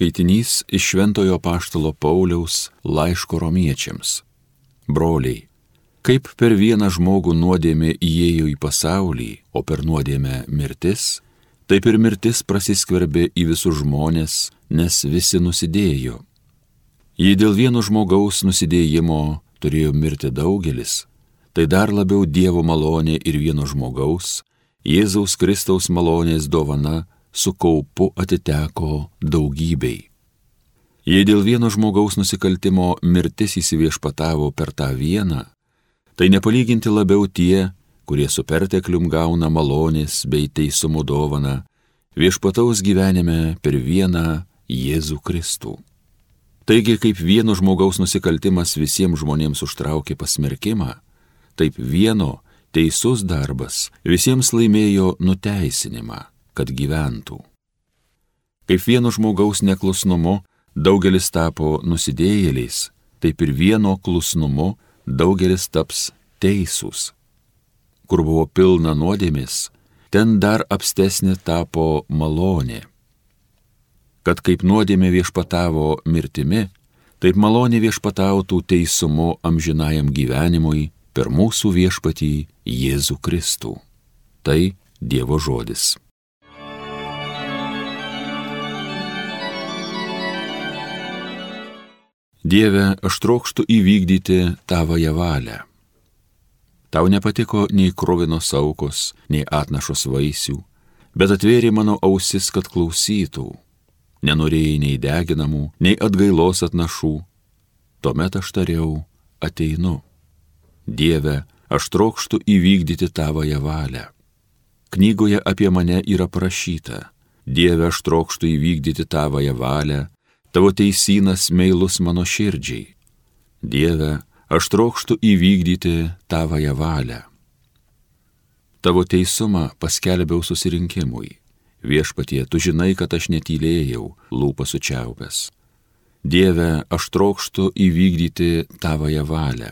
Skaitinys iš Šventojo Apaštalo Pauliaus laiško Romiečiams. Broliai, kaip per vieną žmogų nuodėmė įėjo į pasaulį, o per nuodėmę mirtis, taip ir mirtis prasiskverbė į visus žmones, nes visi nusidėjo. Jei dėl vieno žmogaus nusidėjimo turėjo mirti daugelis, tai dar labiau Dievo malonė ir vieno žmogaus, Jėzaus Kristaus malonės dovana, su kaupu atiteko daugybei. Jei dėl vieno žmogaus nusikaltimo mirtis įsiviešpatavo per tą vieną, tai nepalyginti labiau tie, kurie su perteklium gauna malonės bei teisumo dovaną, viešpataus gyvenime per vieną Jėzų Kristų. Taigi, kaip vieno žmogaus nusikaltimas visiems žmonėms užtraukė pasmerkimą, taip vieno teisus darbas visiems laimėjo nuteisinimą, kad gyventų. Kaip vieno žmogaus neklusnumu daugelis tapo nusidėjėliais, taip ir vieno klusnumu daugelis taps teisūs. Kur buvo pilna nuodėmės, ten dar apstesnė tapo malonė. Kad kaip nuodėmė viešpatavo mirtimi, taip malonė viešpatautų teisumu amžinajam gyvenimui per mūsų viešpatį Jėzų Kristų. Tai Dievo žodis. Dieve, aš trokštu įvykdyti tavąją valią. Tau nepatiko nei kruvinos aukos, nei atnašos vaisių, bet atvėrė mano ausis, kad klausytų. Nenorėjai nei deginamų, nei atgailos atnašų. Tuomet aš tariau, ateinu. Dieve, aš trokštu įvykdyti tavąją valią. Knygoje apie mane yra parašyta: Dieve, aš trokštu įvykdyti tavąją valią, tavo teisynas meilus mano širdžiai. Dieve, aš trokštu įvykdyti tavąją valią. Tavo teisumą paskelbiau susirinkimui. Viešpatie, tu žinai, kad aš netylėjau, lūpas sučiaupęs. Dieve, aš trokštu įvykdyti tavąją valią.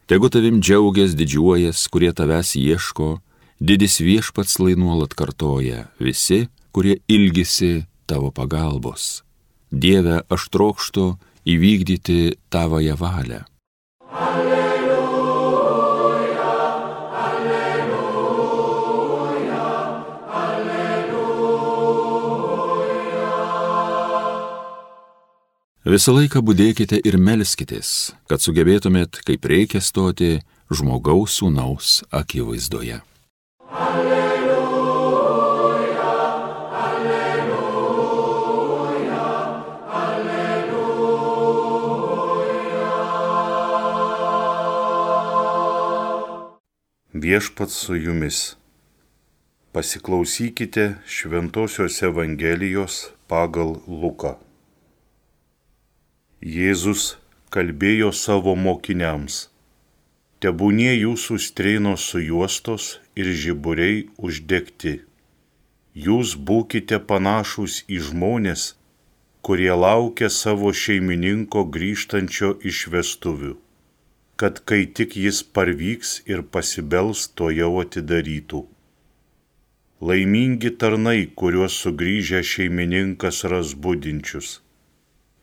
Tegu tavim džiaugias, didžiuojas, kurie tavęs ieško, didis viešpats lai nuolat kartoja, visi, kurie ilgisi tavo pagalbos. Dieve, aš trokštu įvykdyti tavąją valią. Alleluja, alleluja, alleluja. Visą laiką budėkite ir melskitės, kad sugebėtumėt, kaip reikia stoti žmogaus sūnaus akivaizdoje. Viešpats su jumis. Pasiklausykite Šventosios Evangelijos pagal Luką. Jėzus kalbėjo savo mokiniams: Tebūnie jūsų strėnos sujuostos ir žiburiai uždegti. Jūs būkite panašūs į žmones, kurie laukia savo šeimininko grįžtančio iš vestuvių, kad kai tik jis parvyks ir pasibels, tuojau atidarytų. Laimingi tarnai, kuriuos sugrįžę šeimininkas ras budinčius.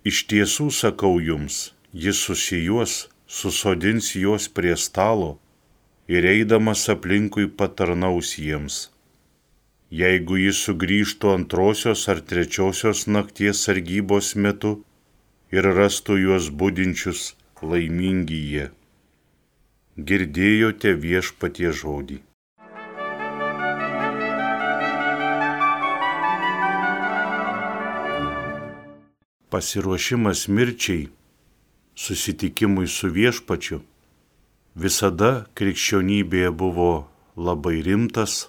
Iš tiesų sakau jums, jis susijuos, susodins juos prie stalo ir eidamas aplinkui patarnaus jiems. Jeigu jis sugrįžtų antrosios ar trečiosios nakties sargybos metu ir rastų juos budinčius, laimingi jie. Girdėjote Viešpaties žodį. Pasiruošimas mirčiai, susitikimui su Viešpačiu, visada krikščionybėje buvo labai rimtas,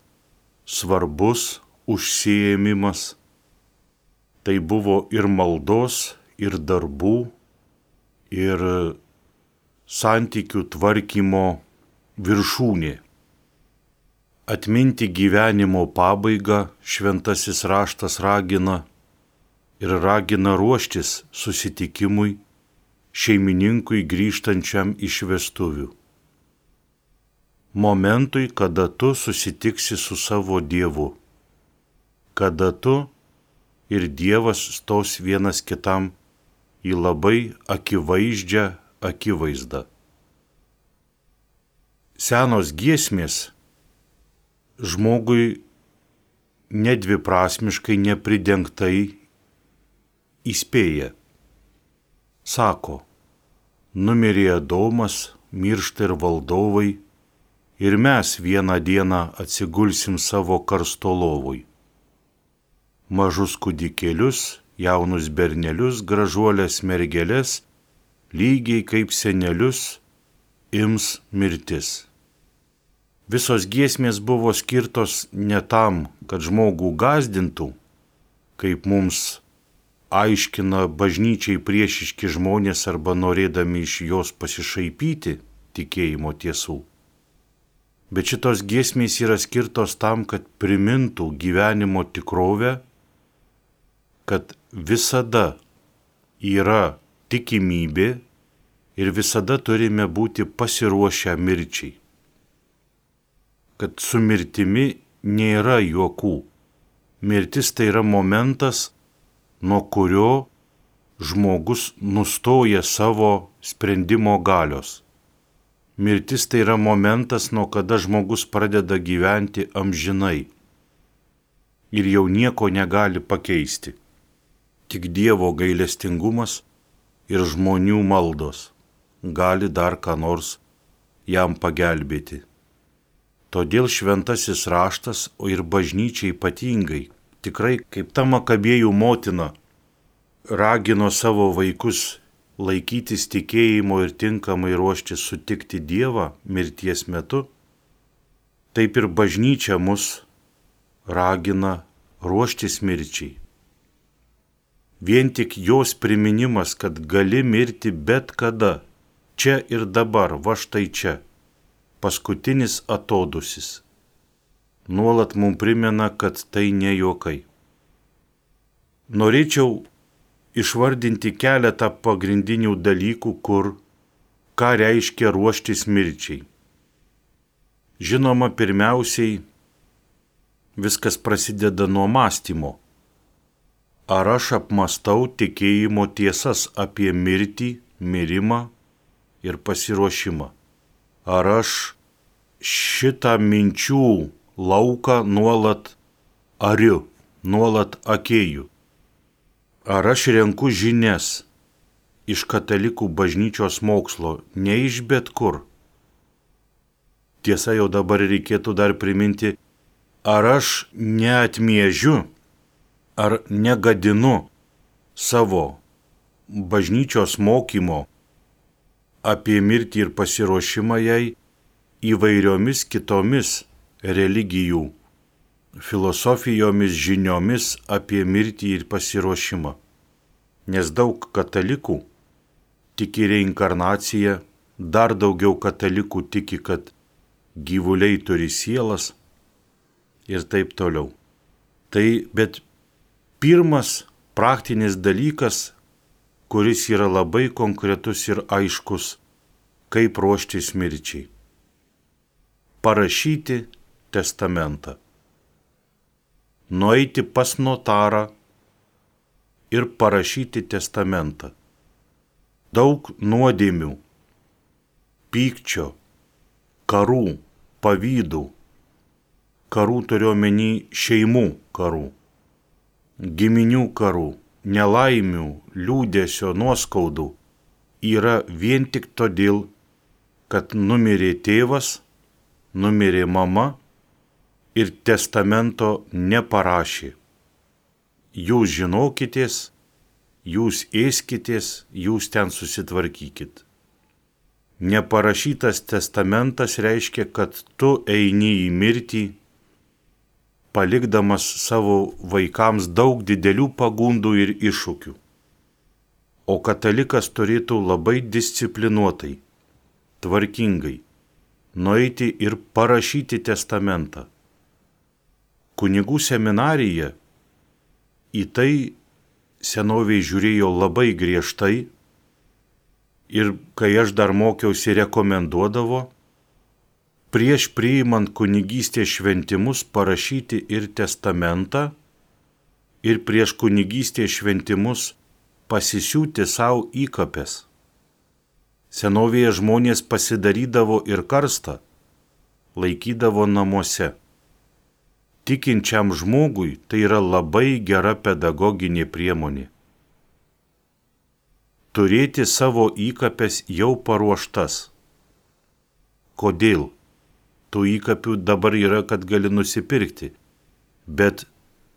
svarbus užsiėmimas. Tai buvo ir maldos, ir darbų, ir santykių tvarkymo viršūnė. Atminti gyvenimo pabaigą šventasis raštas ragina ir ragina ruoštis susitikimui šeimininkui grįžtančiam iš vestuvių. Momentui, kada tu susitiksi su savo Dievu, kada tu ir Dievas stos vienas kitam į labai akivaizdžią akivaizdą. Senos giesmės žmogui nedviprasmiškai, nepridengtai įspėja. Sako, numirė Adomas, miršta ir valdovai, ir mes vieną dieną atsigulsim savo karsto lovui. Mažus kūdikėlius, jaunus bernelius, gražuolės mergelės, lygiai kaip senelius, ims mirtis. Visos giesmės buvo skirtos ne tam, kad žmogų gąsdintų, kaip mums aiškina bažnyčiai priešiški žmonės arba norėdami iš jos pasišaipyti tikėjimo tiesų. Bet šitos giesmės yra skirtos tam, kad primintų gyvenimo tikrovę, kad visada yra tikimybė ir visada turime būti pasiruošę mirčiai. Kad su mirtimi nėra juokų. Mirtis tai yra momentas, nuo kurio žmogus nustoja savo sprendimo galios. Mirtis tai yra momentas, nuo kada žmogus pradeda gyventi amžinai ir jau nieko negali pakeisti. Tik Dievo gailestingumas ir žmonių maldos gali dar ką nors jam pagelbėti. Todėl šventasis raštas, o ir bažnyčia ypatingai, tikrai kaip ta Makabėjų motina, ragino savo vaikus laikytis tikėjimo ir tinkamai ruoštis sutikti Dievą mirties metu, taip ir bažnyčia mus ragina ruoštis mirčiai. Vien tik jos priminimas, kad gali mirti bet kada, čia ir dabar, va štai čia, paskutinis atodusis, nuolat mums primena, kad tai ne juokai. Norėčiau išvardinti keletą pagrindinių dalykų, ką reiškia ruoštis mirčiai. Žinoma, pirmiausiai viskas prasideda nuo mąstymo. Ar aš apmastau tikėjimo tiesas apie mirtį, mirimą ir pasiruošimą? Ar aš šitą minčių lauką nuolat ariu, nuolat akėju? Ar aš renku žinias iš katalikų bažnyčios mokslo, ne iš bet kur? Tiesa, jau dabar reikėtų dar priminti, ar aš neatmiežiu, ar negadinu savo bažnyčios mokymo apie mirtį ir pasiruošimą jai įvairiomis kitomis religijų filosofijomis, žiniomis apie mirtį ir pasiruošimą. Nes daug katalikų tiki reinkarnaciją, dar daugiau katalikų tiki, kad gyvuliai turi sielas ir taip toliau. Bet pirmas praktinis dalykas, kuris yra labai konkretus ir aiškus, kaip ruoštis mirčiai. Parašyti testamentą. Nueiti pas notarą ir parašyti testamentą. Daug nuodėmių, pykčio, karų, pavydų. Karų turiu omeny šeimų karų, giminių karų, nelaimių, liūdesio, nuoskaudų yra vien tik todėl, kad numirė tėvas, numirė mama ir testamento neparašė. Jūs žinokitės, jūs ėskitės, jūs ten susitvarkykit. Neparašytas testamentas reiškia, kad tu eini į mirtį, palikdamas savo vaikams daug didelių pagundų ir iššūkių. O katalikas turėtų labai disciplinuotai, tvarkingai nueiti ir parašyti testamentą. Kunigų seminarija į tai senovėj žiūrėjo labai griežtai ir kai aš dar mokiausi, rekomenduodavo prieš priimant kunigystės šventimus parašyti ir testamentą ir prieš kunigystės šventimus pasisiūti savo įkapes. Senovėje žmonės pasidarydavo ir karstą, laikydavo namuose. Tikinčiam žmogui tai yra labai gera pedagoginė priemonė. Turėti savo įkapes jau paruoštas. Kodėl? Tų įkapių dabar yra, kad gali nusipirkti, bet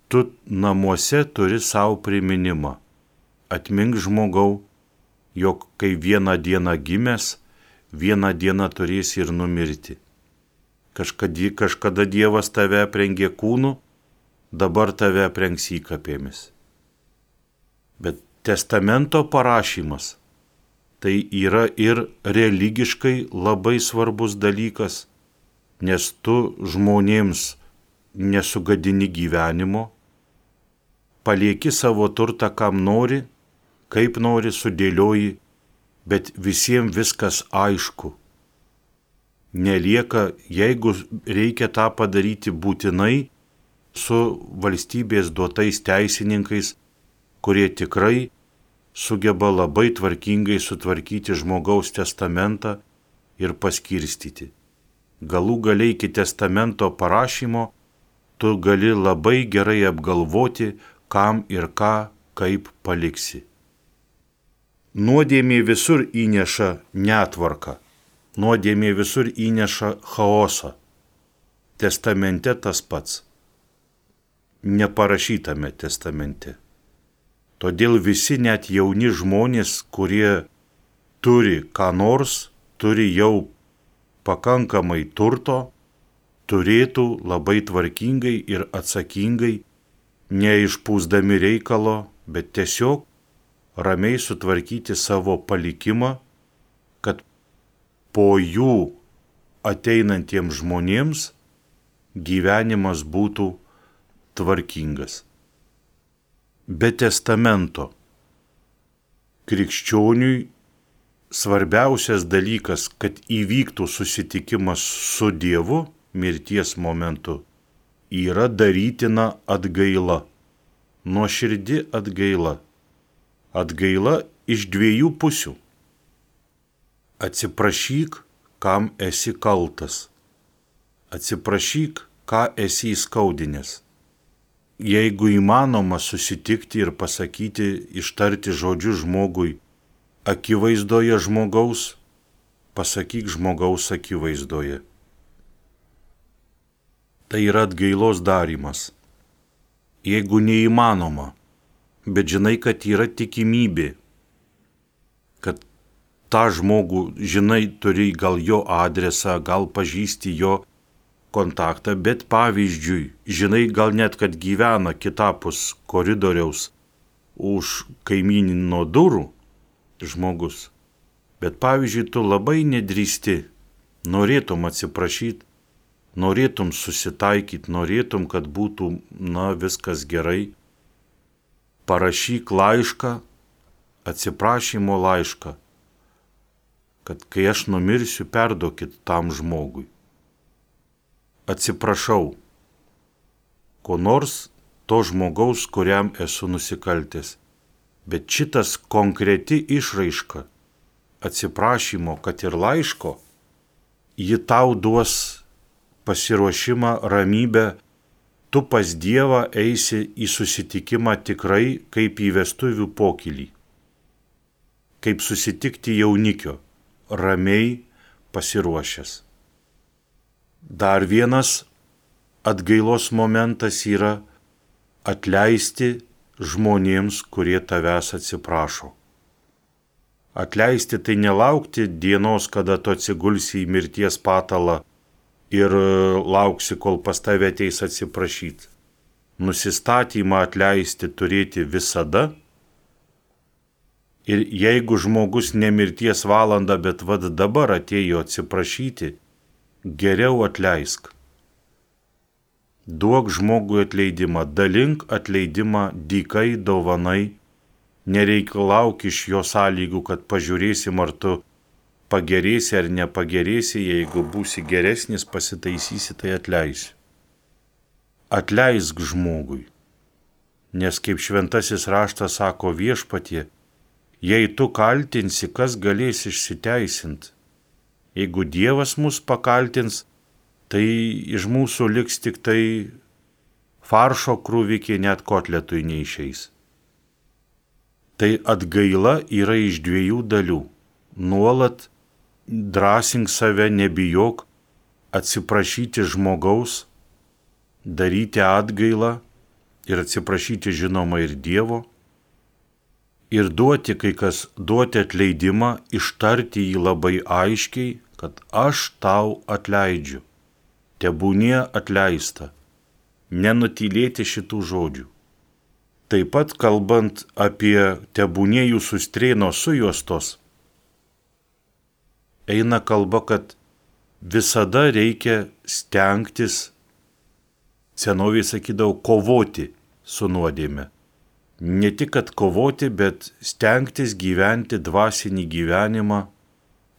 tu namuose turi savo priminimą. Atmink žmogau, jog kai vieną dieną gimęs, vieną dieną turėsi ir numirti. Kažkada Dievas tave aprengė kūnu, dabar tave aprengs įkapėmis. Bet testamento parašymas tai yra ir religiškai labai svarbus dalykas, nes tu žmonėms nesugadini gyvenimo, palieki savo turtą kam nori, kaip nori sudėlioji, bet visiems viskas aišku. Nelieka, jeigu reikia tą padaryti būtinai su valstybės duotais teisininkais, kurie tikrai sugeba labai tvarkingai sutvarkyti žmogaus testamentą ir paskirstyti. Galų galiai iki testamento parašymo tu gali labai gerai apgalvoti, kam ir ką, kaip paliksi. Nuodėmė visur įneša netvarką, nuodėmė visur įneša chaosą. Testamente tas pats. Neparašytame testamente. Todėl visi net jauni žmonės, kurie turi ką nors, turi jau pakankamai turto, turėtų labai tvarkingai ir atsakingai, neišpūsdami reikalo, bet tiesiog ramiai sutvarkyti savo palikimą, kad po jų ateinantiems žmonėms gyvenimas būtų tvarkingas. Be testamento krikščioniui svarbiausias dalykas, kad įvyktų susitikimas su Dievu mirties momentu, yra darytina atgaila, nuoširdi atgaila. Atgaila iš dviejų pusių. Atsiprašyk, kam esi kaltas. Atsiprašyk, ką esi įskaudinęs. Jeigu įmanoma susitikti ir pasakyti, ištarti žodžius žmogui, akivaizdoje žmogaus, pasakyk žmogaus akivaizdoje. Tai yra atgailos darymas. Jeigu neįmanoma, bet žinai, kad yra tikimybė, kad tą žmogų, žinai, turi gal jo adresą, gal pažįsti jo kontaktą, bet pavyzdžiui, žinai gal net, kad gyvena kitapus koridoriaus už kaimynino durų žmogus, bet pavyzdžiui, tu labai nedrįsti, norėtum atsiprašyti, norėtum susitaikyti, norėtum, kad būtų, viskas gerai, parašyk laišką, atsiprašymo laišką, kad kai aš numirsiu, perduokit tam žmogui. Atsiprašau, ko nors to žmogaus, kuriam esu nusikaltęs. Bet šitas konkreti išraiška atsiprašymo, kad ir laiško, ji tau duos pasiruošimą, ramybę, tu pas Dievą eisi į susitikimą tikrai kaip į vestuvių pokylį, kaip susitikti jaunikio, ramiai pasiruošęs. Dar vienas atgailos momentas yra atleisti žmonėms, kurie tavęs atsiprašo. Atleisti tai nelaukti dienos, kada tu atsigulsi į mirties patalą ir lauksi, kol pas tave ateis atsiprašyti. Nusistatymą atleisti turėti visada. Ir jeigu žmogus ne mirties valandą, bet dabar atėjo atsiprašyti, geriau atleisk. Duok žmogui atleidimą, dalink atleidimą dykai dovanai, nereikalauk iš jo sąlygų, kad pažiūrėsim, ar tu pagerėsi ar nepagerėsi, jeigu būsi geresnis, pasitaisysi, tai atleisiu. Atleisk žmogui. Nes kaip šventasis raštas sako Viešpatie, jei tu kaltinsi, kas galės išsiteisinti? Jeigu Dievas mus pakaltins, tai iš mūsų liks tik tai faršo krūvikė, net kotletui neišeis. Tai atgaila yra iš dviejų dalių. Nuolat drąsink save, nebijok atsiprašyti žmogaus, daryti atgailą ir atsiprašyti žinoma ir Dievo. Ir duoti, kai kas duoti atleidimą, ištarti jį labai aiškiai, kad aš tau atleidžiu. Tebūnie atleista. Nenutylėti šitų žodžių. Taip pat kalbant apie tebūnie jūsų strėnos sujuostos, eina kalba, kad visada reikia stengtis, senovėje sakydavo, kovoti su nuodėme. Ne tik, kad kovoti, bet stengtis gyventi dvasinį gyvenimą,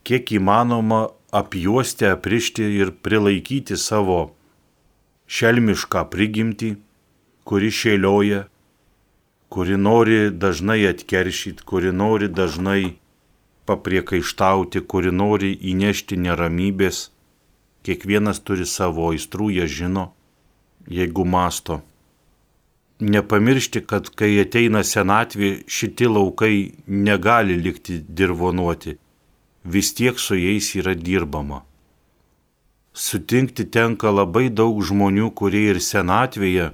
kiek įmanoma apjuosti, aprišti ir prilaikyti savo šelmišką prigimtį, kuri šėlioja, kuri nori dažnai atkeršyti, kuri nori dažnai papriekaištauti, kuri nori įnešti neramybės. Kiekvienas turi savo aistrų, jie žino, jeigu mąsto. Nepamiršti, kad kai ateina senatvė, šitie laukai negali likti dirvonuoti, vis tiek su jais yra dirbama. Sutinkti tenka labai daug žmonių, kurie ir senatvėje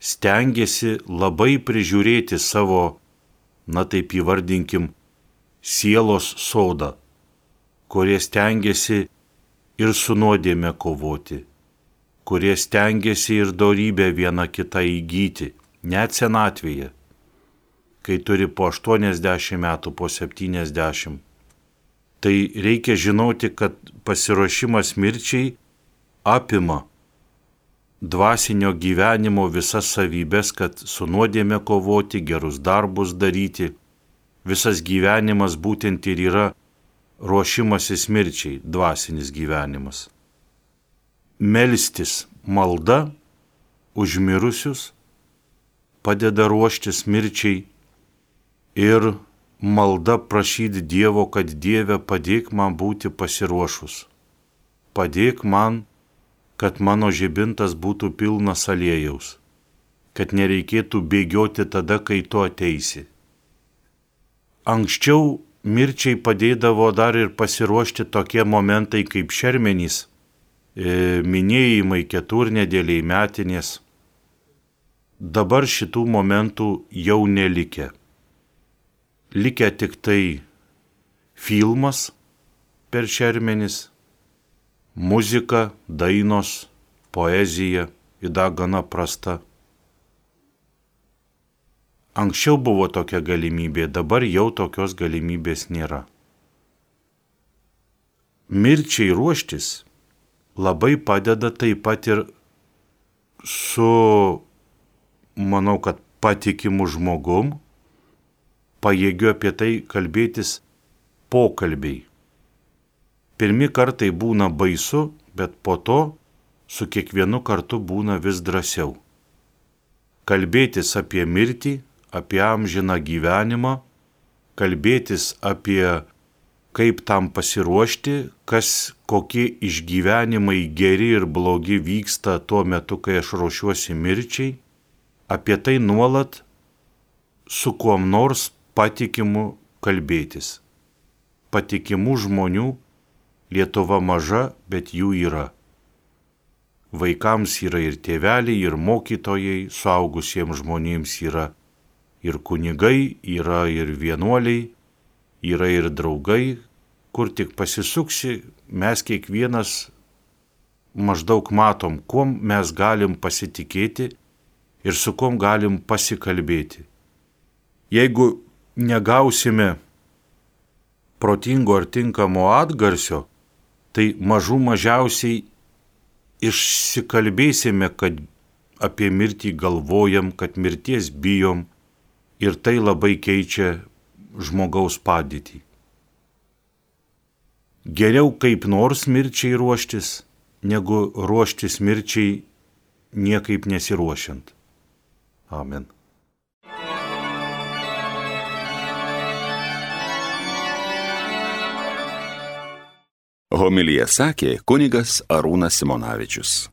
stengiasi labai prižiūrėti savo, na taip įvardinkim, sielos sodą, kurie stengiasi ir su nuodėme kovoti, kurie stengiasi ir dorybę vieną kitą įgyti, net senatvėje, kai turi po 80 metų, po 70. Tai reikia žinoti, kad pasiruošimas mirčiai apima dvasinio gyvenimo visas savybės, kad su nuodėme kovoti, gerus darbus daryti. Visas gyvenimas būtent ir yra ruošimasis mirčiai, dvasinis gyvenimas. Melstis malda už mirusius padeda ruoštis mirčiai ir malda prašyti Dievo, kad Dieve padėk man būti pasiruošus. Padėk man, kad mano žibintas būtų pilnas aliejaus, kad nereikėtų bėgioti tada, kai tu ateisi. Anksčiau mirčiai padėdavo dar ir pasiruošti tokie momentai kaip šermenys, minėjimai, keturnedėliai, metinės. Dabar šitų momentų jau nelikę. Likę tik tai filmas per šermenis, muzika, dainos, poezija, yra gana prasta. Anksčiau buvo tokia galimybė, dabar jau tokios galimybės nėra. Mirčiai ruoštis labai padeda taip pat ir su, manau, kad patikimu žmogum, pajėgiu apie tai kalbėtis pokalbiai. Pirmi kartai būna baisu, bet po to su kiekvienu kartu būna vis drąsiau. Kalbėtis apie mirtį, apie amžiną gyvenimą, kalbėtis apie kaip tam pasiruošti, kokie išgyvenimai geri ir blogi vyksta tuo metu, kai aš ruošiuosi mirčiai, apie tai nuolat su kuom nors patikimu kalbėtis. Patikimų žmonių Lietuva maža, bet jų yra. Vaikams yra ir tėveliai, ir mokytojai, suaugusiems žmonėms yra ir kunigai, yra ir vienuoliai, yra ir draugai, kur tik pasisuksi, mes kiekvienas maždaug matom, kuom mes galim pasitikėti ir su kuom galim pasikalbėti. Jeigu negausime protingo ar tinkamo atgarsio, tai mažiausiai išsikalbėsime, kad apie mirtį galvojam, kad mirties bijom ir tai labai keičia žmogaus padėtį. Geriau kaip nors mirčiai ruoštis, negu ruoštis mirčiai niekaip nesiruošiant. Amen. Homiliją sakė kunigas Arūnas Simonavičius.